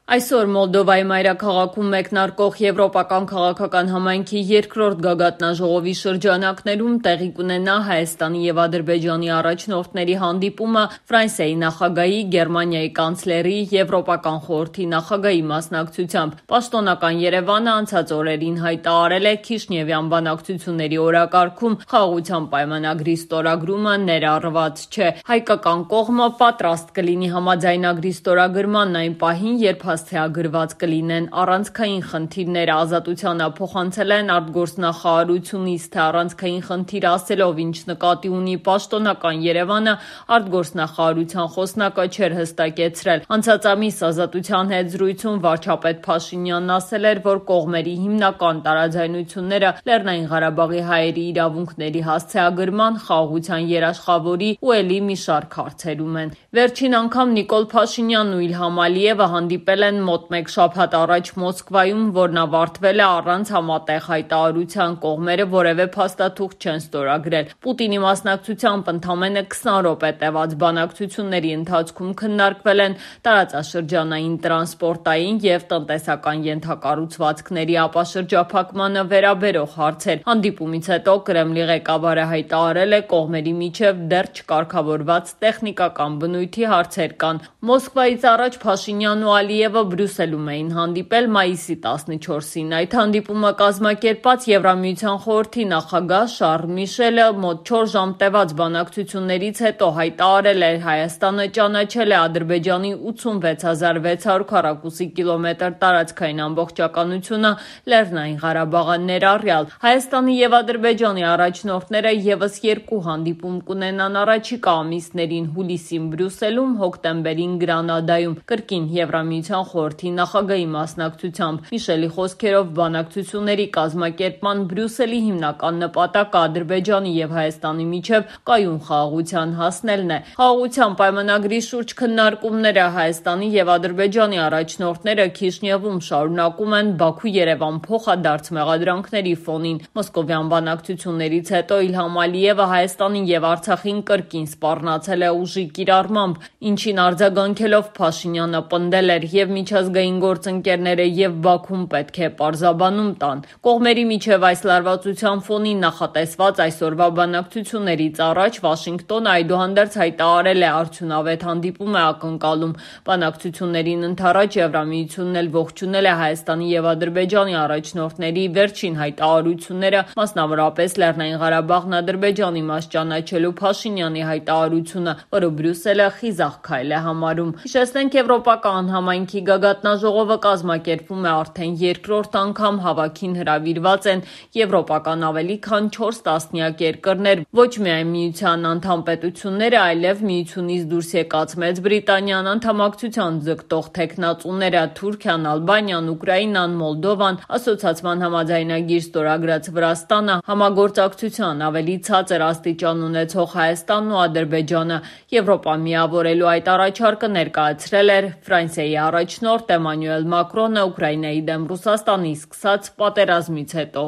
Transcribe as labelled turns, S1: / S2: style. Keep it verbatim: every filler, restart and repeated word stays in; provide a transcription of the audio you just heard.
S1: Այսօր Մոլդովայի մայրաքաղաքում մեկնարկող Եվրոպական քաղաքական համայնքի երկրորդ գագաթնաժողովի շրջանակներում տեղի կունենա Հայաստանի և Ադրբեջանի առաջնորդների հանդիպումը Ֆրանսիայի նախագահի, Գերմանիայի կանցլերի, Եվրոպական խորհրդի նախագահի մասնակցությամբ։ Պաշտոնական Երևանը անցած օրերին հայտարարել է Քիշնևյան բանակցությունների օրակարգում խաղաղության պայմանագրի ստորագրումը ներառված չէ։ Հայկական կողմը պատրաստ կլինի համաձայնագրի ստորագրմանն այն պահին, երբ հասցեագրված կլինեն առանցքային խնդիրները, ազատությանը փոխանցել են արտգործնախարարությունից, թե առանցքային խնդիր ասելով ինչ նկատի ունի պաշտոնական Երևանը, արտգործնախարարության խոսնակը չէր հստակեցրել։ Անցած ամիս Ազատության հետ զրույցում վարչապետ Փաշինյանն ասել էր, որ կողմերի հիմնական տարաձայնությունները Լեռնային Ղարաբաղի հայերի իրավունքների հասցեագրման, խաղաղության երաշխավորի ու էլի մի շարք հարցերում են։ Վերջին անգամ Նիկոլ Փաշինյանն ու Իլհամ Ալիևը հանդիպել են մոտ մեկ շաբաթ առաջ Մոսկվայում, որն ավարտվել է առանց համատեղ հայտարարության, կողմերը որևէ փաստաթուղթ չեն ստորագրել։ Պուտինի մասնակցությամբ ընդամենը քսան րոպե տևած բանակցությունների ընթացքում քննարկվել են տարածաշրջանային տրանսպորտային և տնտեսական ենթակառուցվածքների ապաշրջափակմանը վերաբերող հարցեր։ Հանդիպումից հետո Կրեմլի ղեկավարը հայտարարել է, կողմերի միջև դեռ չկարգավորված տեխնիկական բնույթի հարցեր կան։ Մոսկվայից առաջ Փաշինյանն ու Ալիևը Բրյուսելում էին հանդիպել մայիսի տասնչորսին։ Այդ հանդիպումը կազմակերպած Եվրամիության խորհրդի նախագահ Շառլ Միշելը մոտ չորս ժամ տևած բանակցություններից հետո հայտարարել էր, Հայաստանը ճանաչել է Ադրբեջանի ութսունվեց հազար վեց հարյուր քառակուսի կիլոմետր տարածքային ամբողջականությունը Լեռնային Ղարաբաղը ներառյալ։ Հայաստանի և Ադրբեջանի առաջնորդները ևս երկու հանդիպում կունենան առաջիկա ամիսներին՝ հուլիսին Բրյուսելում, հոկտեմբերին Գրանադայում, կրկին Եվրամիության խորհրդի նախագահի մասնակցությամբ։ Միշելի խոսքերով, բանակցությունների կազմակերպման Բրյուսելի հիմնական նպատակը Ադրբեջանի և Հայաստանի միջև կայուն խաղաղության հասնելն է։ Խաղաղության պայմանագրի շուրջ քննարկումները Հայաստանի և Ադրբեջանի առաջնորդները Քիշնևում շարունակում են Բաքու-Երևան փոխադարձ մեղադրանքների ֆոնին։ Մոսկովյան բանակցություններից հետո Իլհամ Ալիևը Հայաստանին և Արցախին կրկին սպառնացել է ուժի կիրառմամբ, ինչին արձագանքելով Փաշինյանը պնդել էր, և միջազգային գործընկերները, և Բաքուն պետք է պարզաբանում տան։ Կողմերի միջև այս լարվածության ֆոնին նախատեսված այսօրվա բանակցություններից առաջ Վաշինգտոնը այդուհանդերձ հայտարարել է արդյունավետ հանդիպում է ակնկալում։ Բանակցություններին ընդառաջ Եվրամիությունն էլ ողջունել է Հայաստանի և Ադրբեջանի առաջնորդների վերջին հայտարարությունները, մասնավորապես Լեռնային Ղարաբաղն Ադրբեջանի մաս ճանաչելու Փաշինյանի հայտարարությունը, որը Բրյուսելը խիզախ քայլ է համարում։ Հիշեցնենք, Եվրոպական համայնքի գագաթնաժողովը կազմակերպվում է արդեն երկրորդ անգամ, հավաքին հրավիրված են եվրոպական ավելի քան չորս տասնյակ երկրներ, ոչ միայն Միության անդամ պետությունները, այլև Միությունից դուրս եկած Մեծ Բրիտանիան, անդամակցության ձգտող թեկնածուները՝ Թուրքիան, Ալբանիան, Ուկրաինան, Մոլդովան, ասոցիացման համաձայնագիր ստորագրած Վրաստանը, համագործակցության ավելի ցածր աստիճան ունեցող Հայաստանն ու Ադրբեջանը։ Եվրոպա միավորելու այդ առաջարկը ներկայացրել էր Ֆրանսիայի առաջնորդ Էմանուել Մակրոնը Ուկրաինայի դեմ Ռուսաստանի սկսած պատերազմից հետո։